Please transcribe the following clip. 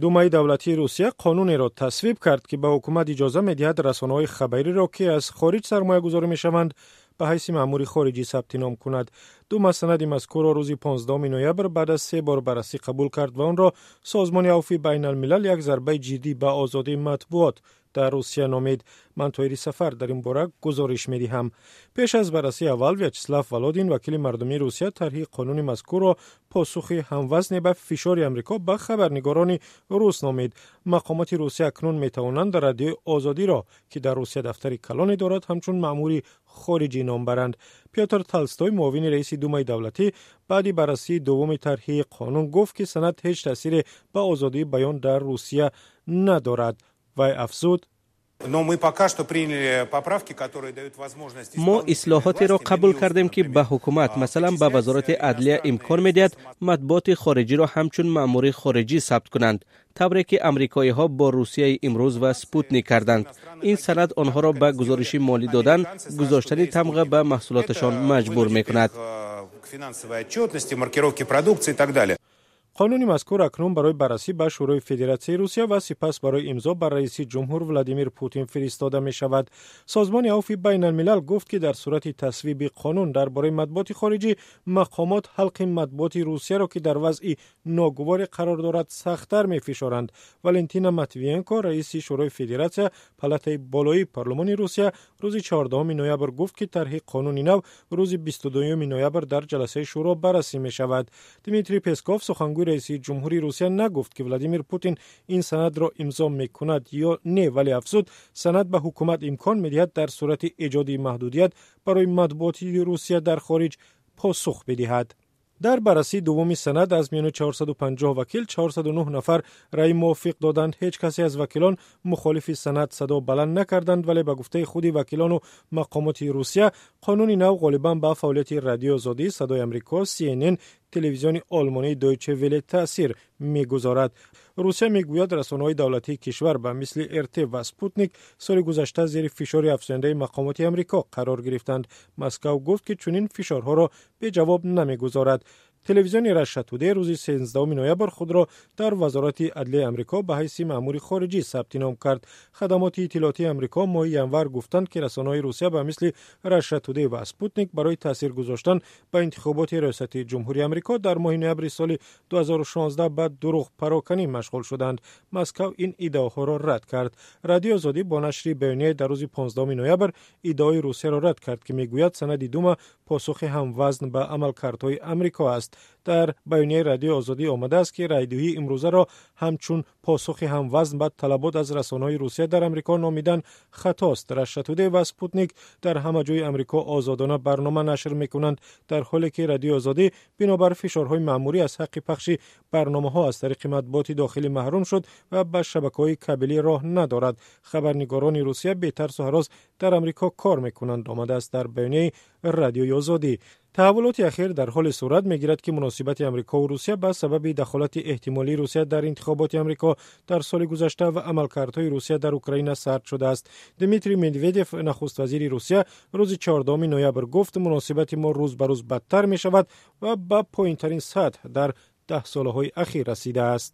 Думаи давлатии Русия қонунеро тасвиб кард, ки ба ҳукумат иҷоза медиҳад расонаҳои хабариро, ки аз хориҷ сармоягузорӣ мешаванд, ба ҳайси маъмури хориҷӣ сабти ном кунад. Дума санади мазкурро рӯзи 15 ноябр баъд аз се бор баррасӣ қабул кард ва онро Созмони Авфи Байналмилал як зарбаи ҷиддӣ ба озодии матбуот дар Русия номид. Ман, Тоҳири Сафар, дар ин бора гузориш медиҳам. Пеш аз баррасии аввал Вячеслав Володин, вакили мардумии Русия, тарҳи қонуни мазкурро посухи ҳамвазне ба фишори Амрико ба хабарнигорони рус номид. Мақомоти Русия акнун метавонанд Радиои Озодиро, ки дар Русия дафтари калоне дорад, ҳамчун маъмури хориҷӣ ном баранд. Пётр Толстой, муовини раиси Думаи давлатӣ, баъди баррасии дуввуми тарҳи қонун гуфт, ки санад ҳеҷ таъсире ба озодии баён дар Русия надорад. Вай афзуд: Но мы пока что приняли поправки, которые дают возможность Мо ислоҳотеро қабул кардем, ки ба ҳукумат, масалан, ба Вазорати адлия имкон медиҳад матбуоти хориҷиро ҳамчун маъмури хориҷӣ сабт кунанд, тавре ки амрикоиҳо бо «Русияи имрӯз» ва «Спутник» карданд. Ин санад онҳоро ба гузориши молӣ додан, гузоштани тамға ба маҳсулоташон маҷбур мекунад. К финансовой отчетности, маркировке продукции и так далее. Қонуни мазкур акнун барои баррасӣ ба Шӯрои Федератсияи Русия ва сипас барои имзо ба раиси ҷумҳур Владимир Путин фиристода мешавад. Созмони Авфи Байналмилал гуфт, ки дар сурати тасвиби қонун дар бораи матбуоти хориҷӣ мақомот ҳалқи матбуоти Русияро, ки дар вазъи ногуворе қарор дорад, сахттар мефишоранд. Валентина Матвиенко, раиси Шӯрои Федератсия, палатаи болоии парлумони Русия, рӯзи 14 ноябр гуфт, ки тарҳи қонуни нав рӯзи 22 ноябр дар ҷаласаи шӯро баррасӣ мешавад. Дмитрий Песков, сухангӯи раиси ҷумҳури Русия, нагуфт, ки Владимир Путин ин санадро имзо мекунад ё не, вале афзуд, санад ба ҳукумат имкон медиҳад дар сурати эҷоди маҳдудият барои матбуоти Русия дар хориҷ посух бидиҳад. Дар баррасии дуввуми санад аз миёни 450 вакил 409 нафар раъи мувофиқ доданд. Ҳеҷ касе аз вакилон мухолифи санад садо баланд накарданд, вале ба гуфтаи худи вакилону мақомоти Русия қонуни нав ғолибан ба фаъолияти Радиои Озодӣ, Садои Амрико, CNN, телевизиони олмонии Дойче Веле таъсир мегузорад. Русия мегӯяд, расонаҳои давлатии кишвар ба мисли РТ ва Спутник соли гузашта зери фишори афзояндаи мақомоти Амрико қарор гирифтанд. Москав гуфт, ки чунин фишорҳоро беҷавоб намегузорад. Телевизиони Раша Тудей рӯзи 13 ноябр худро дар Вазорати адлияи Амрико ба ҳайси маъмури хориҷӣ сабти ном кард. Хадамоти иттилоотии Амрико моҳи январ гуфтанд, ки расонаҳои Русия ба мисли Раша Тудей ва Спутник барои таъсир гузоштан ба интихоботи риёсати ҷумҳурии Амрико дар моҳи ноябри соли 2016 ба дурӯғпароканӣ машғул шуданд. Москав ин иддаоҳоро рад кард. Радиои Озодӣ бо нашри баёнияе дар рӯзи 15 ноябр иддаои Русияро рад кард, ки мегӯяд санади Дума посухи ҳамвазн ба амалкардҳои Амрико аст. Дар баёнияи Радиои Озодӣ омадааст, ки райдиҳии имрӯзаро ҳамчун посухи ҳамвазн ба талабот аз расонаҳои Русия дар Амрико номидан хатост. Раша Тудей ва Спутник дар ҳама ҷои Амрико озодона барнома нашр мекунанд, дар ҳоле ки Радиои Озодӣ бинобар фишорҳои маъмурӣ аз ҳаққи пахши барномаҳо аз тариқи матбуоти дохилӣ маҳрум шуд ва ба шабакаҳои кабелӣ роҳ надорад. Хабарнигорони Русия бетарсу ҳарос дар Амрико кор мекунанд, омадааст дар баёнияи Радиои Озодӣ. Таҳаввулоти ахир дар ҳоле сурат мегирад, ки муносибати Амрикову Русия ба сабаби дахолати эҳтимолии Русия дар интихоботи Амрико дар соли гузашта ва амалкардҳои Русия дар Украина сард шудааст. Дмитрий Медведев, нахуствазири Русия, рӯзи 14 ноябр гуфт, муносибати мо рӯз ба рӯз бадтар мешавад ва ба поинтарин сатҳ дар 10 солаҳои ахир расидааст.